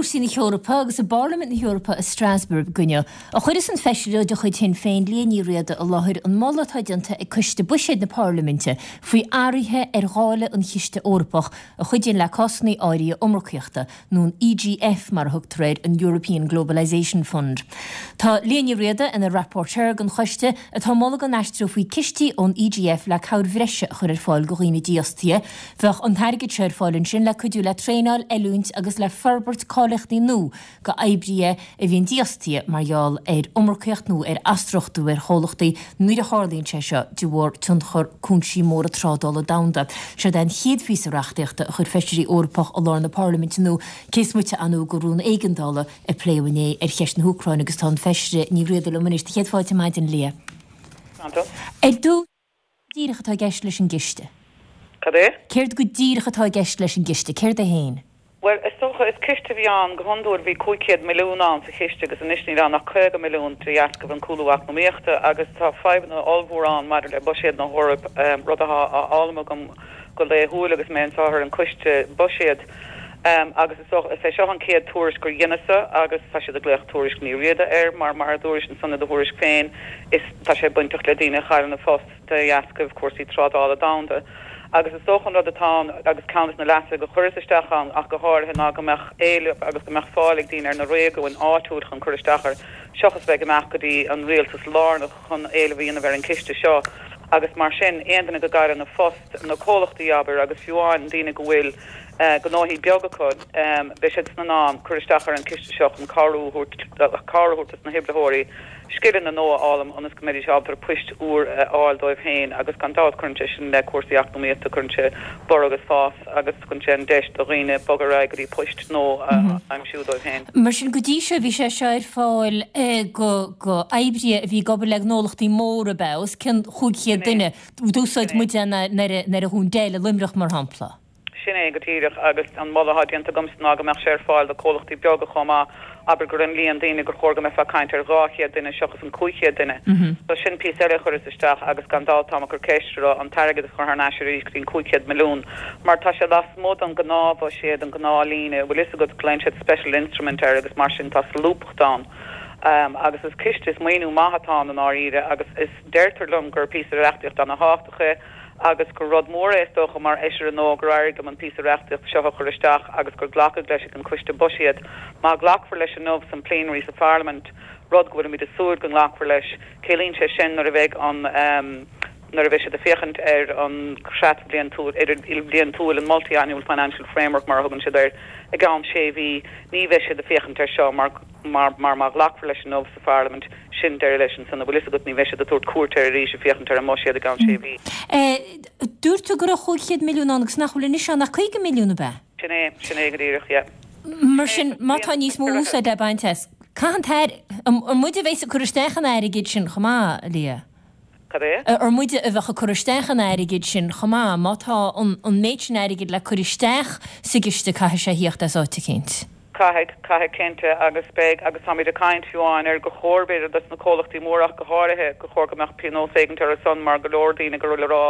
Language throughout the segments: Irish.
cúrsaí na hEorpa agus i bParlaimint na hEorpa i Strasbourg inniu a chuireas an feisire de chuid Shinn Féin, Liadh Ní Riada i láthair an moladh atá déanta ag Coiste Buiséid na Parlaiminte faoi athruithe ar dháileadh an Chiste Eorpach a chuidíonn le cásanna áirithe iomarcaíochta nó an EGF mar a thugtar air, an European Globalisation Fund. Tá Liadh Ní Riada ina rapporteur don choiste atá ag moladh go n-aistreofaí cistí ón EGF le cabhair bhreise a chur ar fáil do dhaoine dífhostaithe. Bheadh an t-airgead seo ar fáil ansin le cuidiú le traenáil, oiliúint agus le forbairt cáilíochtaí nua do oibrithe a bhíonn dífhostaithe mar gheall ar iomarcaíocht nó ar athstruchtúrú ar chomhlachtaí nuair a tharlaíonn sé seo de bharr tionchar cúinsí móra trádála domhanda. Seod é an chéad phíosa reachtaíochta a chuir feisirí Eorpach i lár na Parlaiminte inniu, cé is moite ar ndóigh de rún éigeandála a pléadh inné ar cheist na hÚcráine agus tá an Feisire Ní Riada liom anois. Céad fáilte ar maidin, Liadh. Ar dtús. díreach atá i gceist leis an gciste? Cad é? Céard go díreach atá i gceist leis an gciste? Céard é féin? Bhuel, is dócha, is ciste a bhí ann go hiondúil, bhí 500 milliún ann sa chiste agus anois níl ann ach 50 milliún de dheascaibh an cúlú eacnamaíochta agus tá fadhbanna ollmhóra ann maidir le buiséad na hEorpa, rud atá á fhoghlaim agam go laethúil agus mé anseo ar an coiste buiséad. Agus is dócha, is é seo an chéad tuairisc gur dheineas-sa agus tá siad ag glaoch Tuairisc Ní Riada air mar, mar a dúrais ansan i do thuairisc féin, is tá sé bainteach le daoine a chailleann a phost de dheascaibh cúrsaí trádála domhanda. Agus is dócha an rud atá ann, agus ceann des na leasuithe go chuireas isteach ann ach go háirithe, ná go mbeadh éileamh agus go mbeadh fáil ag daoine ar na réigiúin áitiúil chun cur isteach air, seachas bheith ag imeacht go dtí an rialtas lárnach chun éileamh a dhéanamh ar an chiste seo. Agus mar sin, aon duine go gcailleann a phost, na comhlachtaí abair, agus fiú amháin daoine go bhfuil gnóthaí beaga acu, beidh siadsan in ann cur isteach ar an chiste seo chun cabhrú a thabhairt, cabhair a thabhairt dos na hoibritheoirí. scileanna nua a fhoghlaim ionas go mbeidís ábalta poist úr a fháil dóibh féin agus gan dabht cuireann sé sin le cúrsaí eacnamaíochta, cuireann sé borradh agus fás agus tugann sé an deis do dhaoine bogadh ar aghaidh go dtí poist nua a aimsiú dóibh féin. Mar sin, go dtí seo bhí sé seo ar fáil do oibrithe a bhí ag obair le gnólachtaí móra, ab ea, os cionn 500 duine. D'úsáid muid é nuair a dhún Dell i Luimneach, mar shampla. Sin é go díreach, agus an moladh atá déanta agamsa ná go mbeadh sé ar fáil do comhlachtaí beaga chomh maith, abair gur an líon daoine gur chóir go mbeifeá ag caint ar 200 duine seachas an 500 duine. So sin píosa eile a chuireas isteach agus gan dabht táim ag cur ceist ar an t-airgead a chur thar n-ais arís go dtí an 500 milliún mar tá sé lasmuigh den gnáthbhuiséad, an gnáthlíne, bhfuil fhios agat, glaonn siad special instrument air agus mar sin tá solúbthacht ann. Agus is ciste, is maoiniú maith atá ann i ndáiríre agus is, deirtear liom gur píosa reachtaíochta ana-thábhachtach é. agus gur rud mór é is dócha mar fheisire nua gur éirigh liom an píosa reachtaíochta seo a chur isteach agus gur glacadh leis ag an Coiste Buiséad. Má ghlacfar leis inniu san plenary sa Pharlaimint, rud go bhfuilimid ag súil go nglacfar leis, ciallaíonn sé sin nuair a bheidh an nuair a bheidh siad ag féachaint ar an chreat bhliantúil ilbhliantúil, an multi-annual financial framework mar a thugann siad air, i gceann sé mhí, ní bheidh siad ag féachaint air seo mar mar mar má ghlacfar leis inniu sa Pharlaimint, sin deireadh leis ansan, an bhfuil fhios agat, ní bheidh siad ag tabhairt cuairt air arís ag féachaint ar an mbuiséad i gceann sé mhí. Dúirt tú go raibh 500 milliún ann agus nach bhfuil anois ann ach 50 milliún, ab ea? Sin é, sin é go díreach, yeah. Mar sin, má tá níos mó úsáid le baint as, caithfidh an t-air, an muide a bheas ag cur isteach an airgid sin chomh maith, a Liadh? Cad é? Ar muide a bheadh ag cur isteach an airgid sin chomh maith? Má tá an méid sin airgid le cur isteach sa gciste caithfidh sé thíocht as áit eicínt. Caithfidh, caithfidh cinnte agus beidh agus táimid ag caint fiú amháin ar gur chóir b'fhéidir dos na comhlachtaí móra ach go háirithe gur chóir go mbeadh pionós éigint orthu san mar go leor daoine go bhfuil ag rá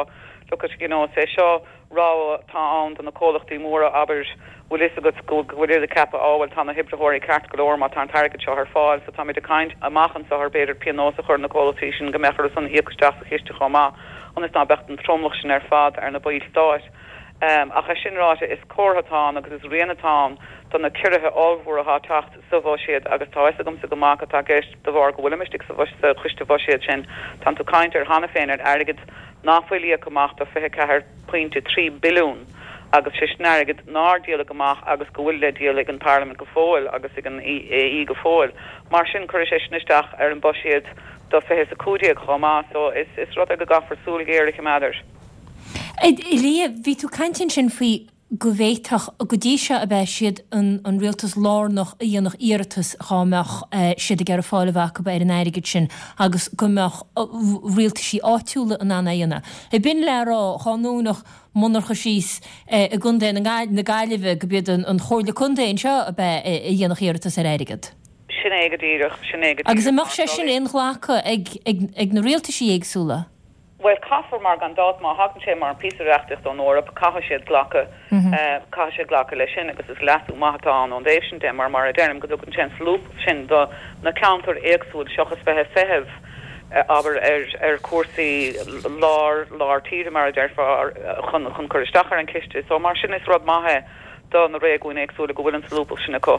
look at you know is é seo rogha atá ann do na comhlachtaí móra abair bhfuil fhios agat go bhfuil siad ag ceapadh á bhuel tá na hoibritheoirí ceart go leor má tá an t-airgead seo ar fáil so táimid ag caint amach anseo ar b'fhéidir pionós a chur ar na comhlachtaí sin go mbeadh orthu san íoc isteach sa chiste chomh maith ionas ná beadh an tromlach sin ar fad ar na baill stáit. Ach é sin ráite, is comhartha atá ann agus is rian atá ann do na ciorruithe ollmhóra atá ag teacht sa bhuiséad agus tá fhios agamsa go maith cad tá i gceist de bharr go bhfuilim istigh sa choiste bhuiséad sin. Tánn tú ag caint ar cheana féin ar airgead nach bhfuil íoctha amach do 24.3 billiún agus sé sin airgead nár díoladh amach agus go bhfuil le díol ag an Parlaimint go fóill agus ag an AE go fóill. Mar sin cuirfidh sé sin isteach ar an buiséad do 2015 chomh maith so is rud é go gcaithfear súil ghéar a choimeád air. A Liadh, bhí tú ag caint ansin faoi go bhféadfadh, go dtí seo ab ea, siad an rialtas lárnach a dhéanfadh iarratas dhá mbeadh siad ag iarraidh fáil a bheith acu ar an airgead sin agus go mbeadh rialtaisí áitiúla in ann é a dhéanamh. Ab in le rá dhá ndúnfadh monarcha síos i gContae na Gaillimhe go b'iad an Chomhairle Contae anseo ab ea a dhéanfadh iarratas ar airgead? Sin é go díreach, sin é go díreach. Agus an mbeadh sé sin inghlactha ag na rialtaisí éagsúla? Bhuel, caithfear mar gan dabht má thagann sé mar an píosa reachtaíochta ón Eoraip, caithfidh siad glacadh, caithfidh siad glacadh leis sin agus is leasú maith atá ann ón dtaobh sin de mar, mar a deirim, go dtugann sé an solúbthacht sin do na ceantair éagsúil seachas bheith ag feitheamh, abair, ar, ar chúrsaí lár, lár tíre mar a déarfá, chun, chun cur isteach ar an chiste. So mar sin is rud maith é do na réigiúin éagsúla go bhfuil an solúbthacht sin acu.